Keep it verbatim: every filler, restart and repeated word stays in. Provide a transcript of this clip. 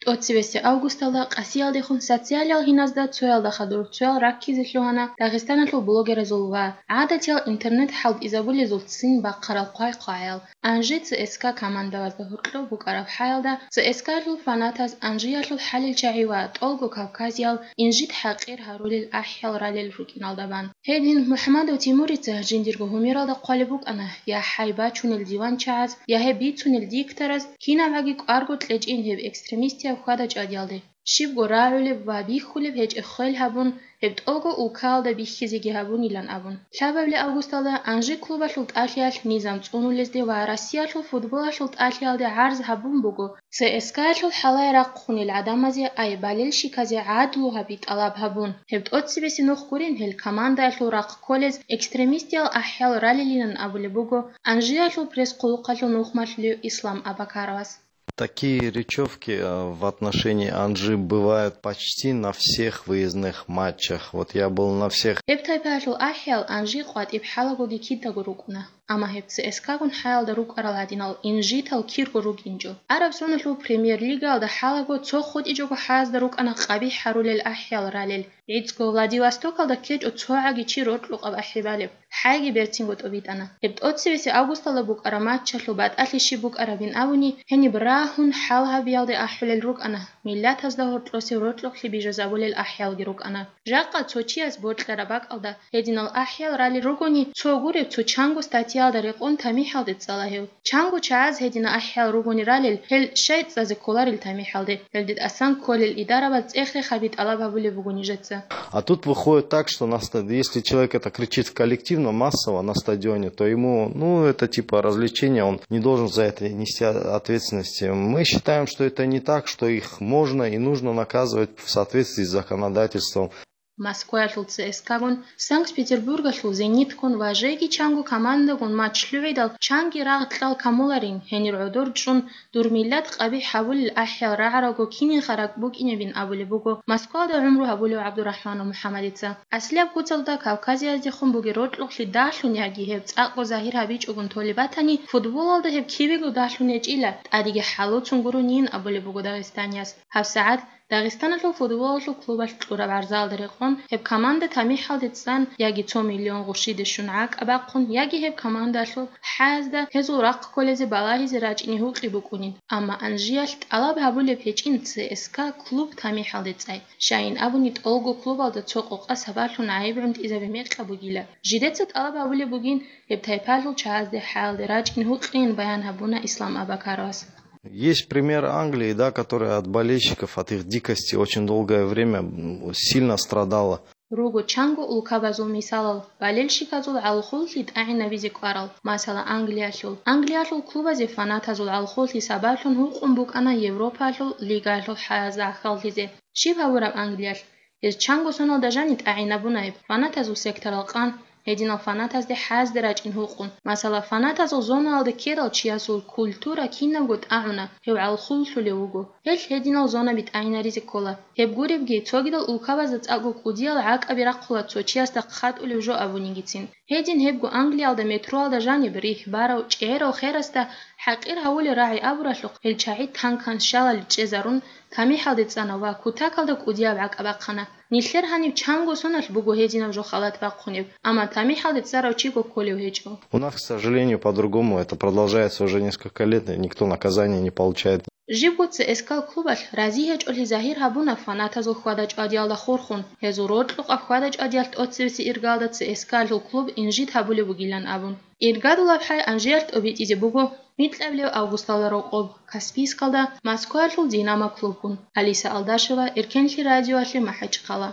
ТӀоцебесеб августалда къасиялдехун социалиял гьиназда цоялда хадур цоял раккизе лъугьана Дагъистаналъул блогеразул ва гӀадатиял интернет хӀалтӀизабулезул ццин бахъарал хъвай-хъвагӀаял. Анжи ЦСКА командабазда гьоркьоб букӀараб хӀаялда, ЦСКА-лъул фанатаз Анжиялъул хӀалил чагӀи ва тӀолго кавказиял инжит-хӀакъир гьарулел ахӀиял ралел рукӀиналда бан. Гьедин МухӀамадов Тимурица жиндирго гьумералда хъвалеб букӀана: «Я хӀай бачунел диванчагӀаз, я гьеб бицунел диктораз, кинабгӀаги кӀварго кьечӀин гьеб экстремистияв хьвада-чӀвадиялде. Щибго рагӀулеб ва бихьулеб гьечӀеб хвел гьабун, гьеб тӀолго улкаялда бихьизеги гьабунилан», – абун. Лъабабилеб августалда Анжи клубалъул тӀалъиялъ низам цӀунулезде ва Россиялъул футболалъул тӀалъиялде гӀарз гьабун буго, ЦСКА-лъул хӀалае рахъунел гӀадамазе, ай болельщиказе гӀадлу гьаби тӀалаб гьабун. Гьеб тӀоцебесеб нух гурин гьел командаялъул рахъ кколез экстремистиял ахӀиял ралилилан абулеб буго Анжиялъул пресс-хъулухъалъул нухмалъулев Ислам Абакаровас. Такие речевки, э, в отношении Анжи бывают почти на всех выездных матчах. Вот я был на всех. Гьеб тайпаялъул ахӀиял Анжи къватӀиб хӀалагоги кидаго рукӀуна, амма гьеб ЦСКА-гун хӀаялда рукӀарал гьадинал инжитал кирго рукӀинчӀо. Араб соналъул премьер-лигаялда хӀалаго цо хутӀичӀого хӀаязда рукӀана къабихӀ гьарулел ахӀиял ралел. ГӀицӀго Владивостокалда ккечӀо цогӀаги чи рокьукъаб ахӀи балеб. ХӀайги берцинго тӀобитӀана. Гьеб тӀоцебесеб августалда букӀараб матчалъул батӀалъи щиб букӀарабин абуни, гьениб рагьун хӀал гьабиялде ахӀулел рукӀана, миллатазда гьоркьосев рокьукълъи бижазабулел ахӀиялги рукӀана. Жакъа цо чияс бокьараб бакӀалда гьединал ахӀиял ралел ругони, цо гуреб цо чанго статьяялда рекъон тамихӀалде цӀала гьев. Чанго чагӀаз гьедина ахӀиял ругони ралел, гьел щай цӀазе кколарел тамихӀалде, гьелде тӀасан кколел идарабаз цӀех-рех гьаби тӀалаб гьабулеб буго нижеца. А тут выходит так, что на ста-, если человек это кричит в коллективном, массово на стадионе, то ему, ну, это типа развлечение, он не должен за это нести ответственности. Мы считаем, что это не так, что их можно и нужно наказывать в соответствии с законодательством. Москваялъул ЦСКА-гун, Санкт-Петербургалъул Зениткун ва жеги чанго командагун матч лъугӀидал, чанги рагъ-кьал камуларин, гьенир гӀодор чӀун, дур миллат къабихӀ гьабулел ахӀиял рагӀаралго кинин харак букӀинебин абулеб буго Москвалда гӀумру гьабулев ГӀабдурахӀманов МухӀаммадица. Аслияб куцалда Кавказияздехун бугеб рокьукълъи дагьлъун яги гьеб цӀакъго загьир гьабичӀогун толеб батани, футболалда гьеб кибего дагьлъун гьечӀила, тӀадеги хӀалуцун гурунин абулеб буго дагъистанияс. ГьабсагӀат Дагъистаналъул футболалъул клубалъ кьураб гӀарзаялда рекъон, гьеб команда тамихӀалде цӀан яги цо миллион гъушиде щун гӀакӀа бахъун, яги гьеб командалъул хӀаязда гьезул рахъ кколезе балагьизе рачӀине гьукъи букӀунин. Амма Анжиялъ тӀалаб гьабулеб гьечӀин ЦСКА клуб тамихӀалде цӀай. Щайин абуни, тӀолго клубалда цо къокъа сабаблъун гӀайиб гӀунтӀизаби мекъаб бугила. Жидеца тӀалаб гьабулеб бугин гьеб тайпалъул чагӀазде хӀаялде рачӀин гьукъин, баян гьабуна Ислам Абакаровас. Есть пример Англии, да, который от болельщиков, от их дикости очень долгое время, м, сильно страдала. Руго чанго улкабазул мисалал, болельщиказул гӀалхуллъи тӀагӀинабизе кӀварал, масала, Англиялъул. Англиялъул клубазе фанатазул гӀалхуллъи сабаблъун гьукъун букӀана Европаялъул лигаялъул хӀаязда гӀахьаллъизе. Щиб гьабураб Англиялъ? Гьез чанго соналда жани тӀагӀинабунаеб, фанатазул секторал къан, гьединал фанатазде хӀаязде рачӀин гьукъун. Масала, фанатазул зонаялда ккедал чиясул культура кинабго тӀагӀуна, гьев гӀалхуллъулев вуго. Гьелъ гьединал зонаби тӀагӀинаризе ккола. Гьеб гуребги, цогидал улкабазда цӀакъго кӀудиял гӀакӀаби рахъула цо чиясда хъатӀулев жо абунигицин. Гьедин гьебго Англиялда метроялда жаниб рихь барав чӀегӀерав херасда хӀакъир гьавулел рагӀи абуралъухъ, гьел чагӀи танкан щалалде чӀезарун, тамихӀалде цӀана ва кутакалда кӀудияб гӀакӀа бахъана. Нилъер гьаниб чанго соналъ буго гьединаб жо халат бахъунеб, амма тамихӀалде цӀарав чиго кколев гьечӀо. У нас, к сожалению, по-другому это продолжается уже несколько лет, и никто наказания не получает. Жибго ЦСКА клубалъ рази гьечӀолъи загьир гьабуна фанатазул хьвада-чӀвадиялда хурхун, гьезул рокьукъаб хьвада-чӀвадиялъ тӀоцебесеб иргалда ЦСКА-лъул клуб инжит гьабулеб бугилан абун. Иргадулаб хӀай Анжиялъ тӀобитӀизе буго микьабилеб августалда рокъоб Каспийскалда Москваялъул Динамо клубгун. Алиса Алдашева, Эркенлъи радиоялъе, МахӀачхъала.